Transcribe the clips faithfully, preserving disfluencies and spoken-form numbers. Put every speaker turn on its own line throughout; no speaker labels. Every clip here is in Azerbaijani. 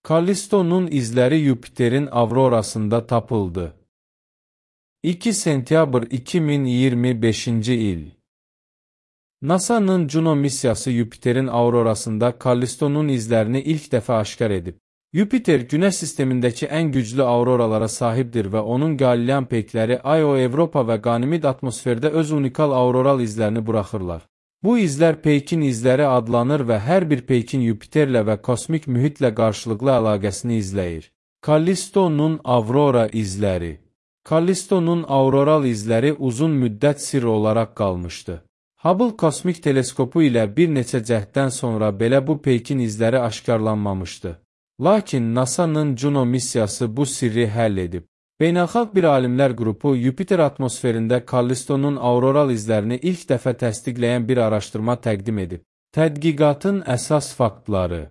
Kallistonun izləri Yupiterin aurorasında tapıldı. iki sentyabr iki min iyirmi beşinci il. NASA'nın Juno missiyası Yupiterin aurorasında Kallistonun izlərini ilk dəfə aşkar edib. Yupiter, Günəş sistemindəki ən güclü auroralara sahibdir və onun Galilean peykləri Io, Avropa və Ganymede atmosferdə öz unikal auroral izlərini buraxırlar. Bu izlər peykin izləri adlanır və hər bir peykin Yupiterlə və kosmik mühitlə qarşılıqlı əlaqəsini izləyir. Kallistonun aurora izləri. Kallistonun auroral izləri uzun müddət sirr olaraq qalmışdı. Hubble kosmik teleskopu ilə bir neçə cəhddən sonra belə bu peykin izləri aşkarlanmamışdı. Lakin NASA'nın Juno missiyası bu sirri həll edib. Beynəlxalq bir alimlər qrupu Yupiter atmosferində Kallistonun auroral izlərini ilk dəfə təsdiqləyən bir araşdırma təqdim edib. Tədqiqatın əsas faktları.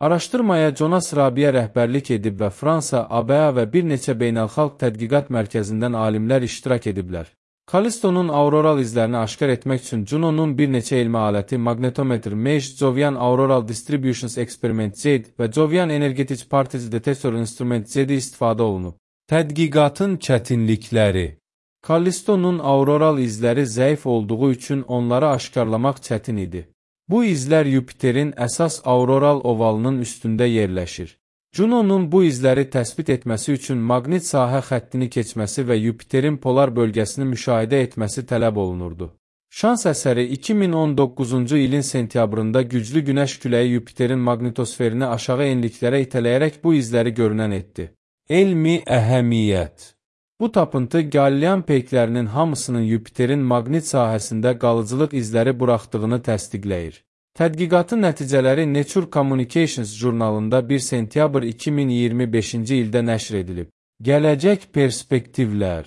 Araşdırmaya Jonas Rabiə rəhbərlik edib və Fransa, A B A və bir neçə beynəlxalq tədqiqat mərkəzindən alimlər iştirak ediblər. Kallistonun auroral izlərini aşkar etmək üçün Juno'nun bir neçə elmi aləti Magnetometer M E J, Jovian Auroral Distributions Experiment Z və Jovian Energetic Particle Detector Instrument Z istifadə olunub. Tədqiqatın çətinlikləri. Kallistonun auroral izləri zəif olduğu üçün onları aşkarlamaq çətin idi. Bu izlər Yupiterin əsas auroral ovalının üstündə yerləşir. Juno'nun bu izləri təsbit etməsi üçün maqnit sahə xəttini keçməsi və Yupiterin polar bölgəsini müşahidə etməsi tələb olunurdu. Şans əsəri iki min on doqquzuncu ilin sentyabrında güclü günəş küləyi Yupiterin maqnitosferini aşağı enliklərə itələyərək bu izləri görünən etdi. Elmi əhəmiyyət. Bu tapıntı Galilean peyklərinin hamısının Yupiterin maqnit sahəsində qalıcılıq izləri buraxdığını təsdiqləyir. Tədqiqatın nəticələri Nature Communications jurnalında bir sentyabr iki min iyirmi beşinci ildə nəşr edilib. Gələcək perspektivlər.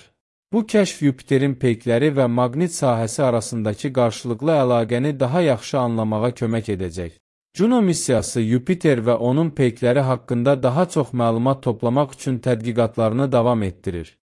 Bu kəşf Yupiterin peykləri və maqnit sahəsi arasındakı qarşılıqlı əlaqəni daha yaxşı anlamağa kömək edəcək. Juno missiyası Yupiter və onun peykləri haqqında daha çox məlumat toplamaq üçün tədqiqatlarını davam etdirir.